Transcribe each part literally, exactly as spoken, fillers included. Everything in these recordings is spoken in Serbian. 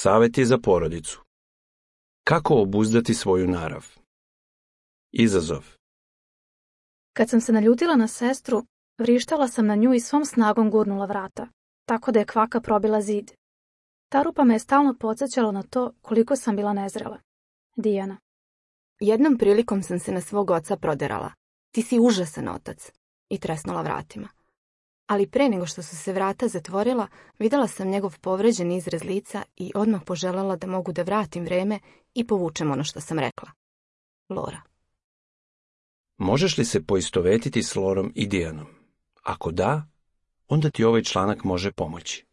Savjeti za porodicu. Kako obuzdati svoju narav? Izazov. Kad sam se naljutila na sestru, vrištala sam na nju i svom snagom gurnula vrata, tako da je kvaka probila zid. Ta rupa me je stalno podsjećala na to koliko sam bila nezrela. Dijana. Jednom prilikom sam se na svog oca proderala. Ti si užasan otac. I tresnula vratima. Ali pre nego što su se vrata zatvorila, videla sam njegov povređen izraz lica i odmah poželjela da mogu da vratim vreme i povučem ono što sam rekla. Lora. Možeš li se poistovetiti s Lorom i Dijanom? Ako da, onda ti ovaj članak može pomoći.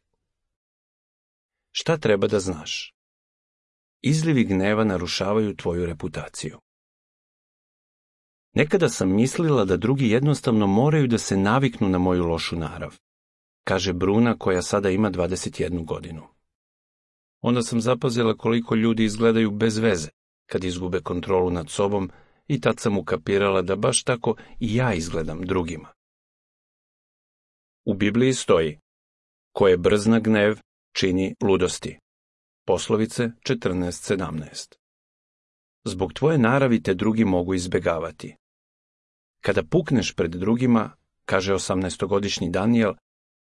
Šta treba da znaš? Izlivi gneva narušavaju tvoju reputaciju. Nekada sam mislila da drugi jednostavno moraju da se naviknu na moju lošu narav, kaže Bruna koja sada ima dvadeset jednu godinu. Onda sam zapazila koliko ljudi izgledaju bez veze kad izgube kontrolu nad sobom i tad sam ukapirala da baš tako i ja izgledam drugima. U Bibliji stoji: ko je brz na gnev, čini ludosti. Poslovice četrnaest sedamnaest. Zbog tvoje naravi te drugi mogu izbegavati. Kada pukneš pred drugima, kaže osamnaestogodišnji Danijel,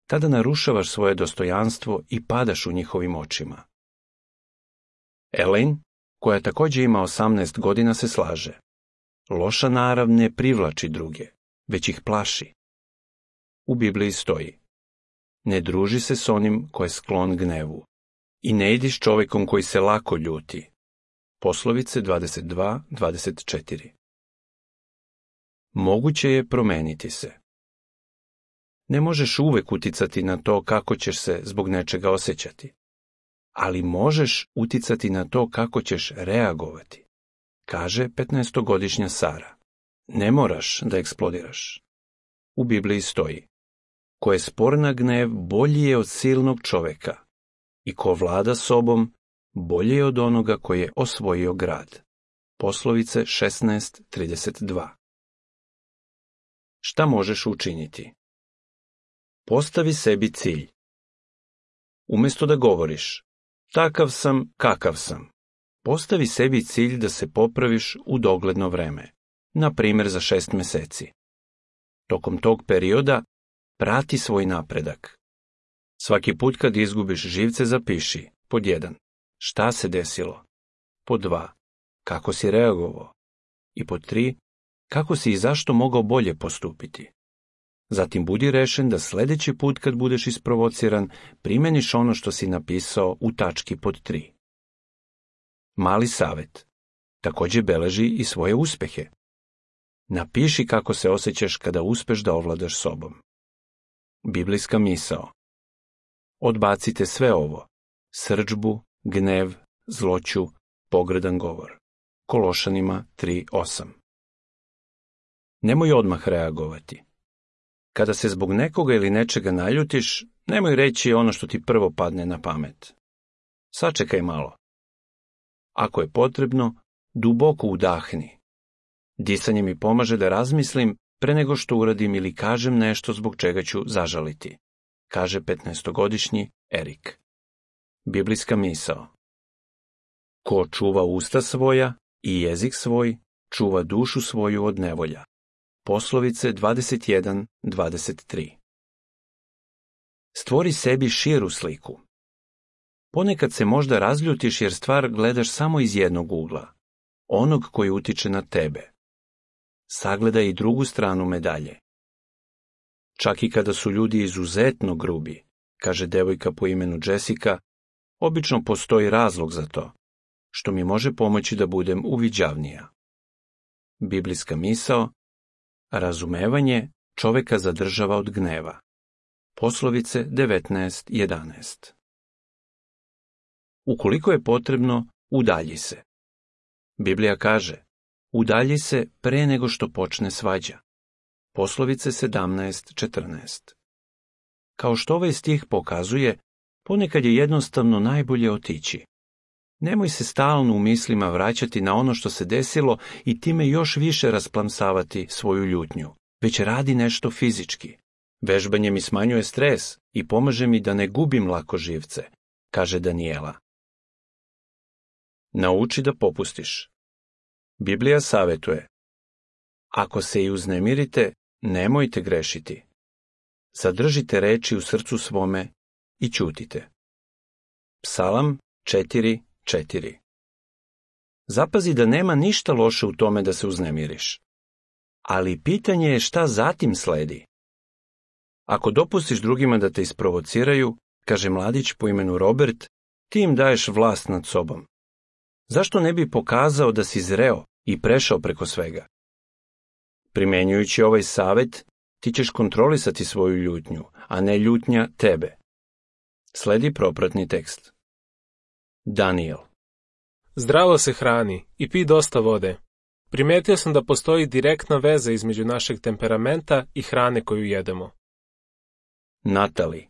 tada narušavaš svoje dostojanstvo i padaš u njihovim očima. Elaine, koja također ima osamnaest godina, se slaže. Loša narav ne privlači druge, već ih plaši. U Bibliji stoji: ne druži se s onim ko je sklon gnevu i ne idi s čovjekom koji se lako ljuti. Poslovice dvadeset dva dvadeset četiri. Moguće je promeniti se. Ne možeš uvek uticati na to kako ćeš se zbog nečega osjećati, ali možeš uticati na to kako ćeš reagovati, kaže petnaestogodišnja Sara. Ne moraš da eksplodiraš. U Bibliji stoji: ko je spor na gnev, bolji je od silnog čoveka, i ko vlada sobom, bolje je od onoga koji je osvojio grad. Poslovice šesnaest trideset dva. Šta možeš učiniti? Postavi sebi cilj. Umjesto da govoriš takav sam, kakav sam, postavi sebi cilj da se popraviš u dogledno vreme, na primjer za šest meseci. Tokom tog perioda prati svoj napredak. Svaki put kad izgubiš živce zapiši: pod jedan. Šta se desilo? Pod dva. Kako si reagovao? I pod tri. Kako si i zašto mogao bolje postupiti? Zatim budi rešen da sljedeći put kad budeš isprovociran, primeniš ono što si napisao u tački pod tri. Mali savjet. Također beleži i svoje uspjehe. Napiši kako se osjećaš kada uspeš da ovladaš sobom. Biblijska misao. Odbacite sve ovo: srdžbu, gnev, zloću, pogrdan govor. Kološanima tri osam. Nemoj odmah reagovati. Kada se zbog nekoga ili nečega naljutiš, nemoj reći ono što ti prvo padne na pamet. Sačekaj malo. Ako je potrebno, duboko udahni. Disanje mi pomaže da razmislim pre nego što uradim ili kažem nešto zbog čega ću zažaliti, kaže petnaestogodišnji Erik. Biblijska misao. Ko čuva usta svoja i jezik svoj, čuva dušu svoju od nevolja. Poslovice dvadeset jedan dvadeset tri. Stvori sebi širu sliku. Ponekad se možda razljutiš jer stvar gledaš samo iz jednog ugla, onog koji utiče na tebe. Sagledaj i drugu stranu medalje. Čak i kada su ljudi izuzetno grubi, kaže devojka po imenu Jessica, obično postoji razlog za to, što mi može pomoći da budem uviđavnija. Biblijska misao. Razumevanje čoveka zadržava od gneva. Poslovice devetnaest jedanaest. Ukoliko je potrebno, udalji se. Biblija kaže: udalji se pre nego što počne svađa. Poslovice sedamnaest četrnaest. Kao što ovaj stih pokazuje, ponekad je jednostavno najbolje otići. Nemoj se stalno u mislima vraćati na ono što se desilo i time još više rasplamsavati svoju ljutnju, već radi nešto fizički. Vežbanje mi smanjuje stres i pomaže mi da ne gubim lako živce, kaže Danijela. Nauči da popustiš. Biblija savjetuje: ako se i uznemirite, nemojte grešiti. Zadržite reči u srcu svome i ćutite. Psalam četiri četiri. Zapazi da nema ništa loše u tome da se uznemiriš. Ali pitanje je šta zatim sledi. Ako dopustiš drugima da te isprovociraju, kaže mladić po imenu Robert, ti im daješ vlast nad sobom. Zašto ne bi pokazao da si zreo i prešao preko svega? Primjenjujući ovaj savjet, ti ćeš kontrolisati svoju ljutnju, a ne ljutnja tebe. Sledi propratni tekst. Daniel. Zdravo se hrani i pi dosta vode. Primetio sam da postoji direktna veza između našeg temperamenta i hrane koju jedemo. Natali.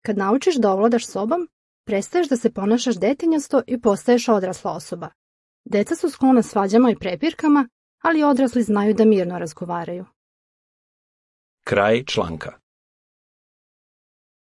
Kad naučiš da ovladaš sobom, prestaješ da se ponašaš detinjasto i postaješ odrasla osoba. Deca su sklona svađama i prepirkama, ali odrasli znaju da mirno razgovaraju. Kraj članka.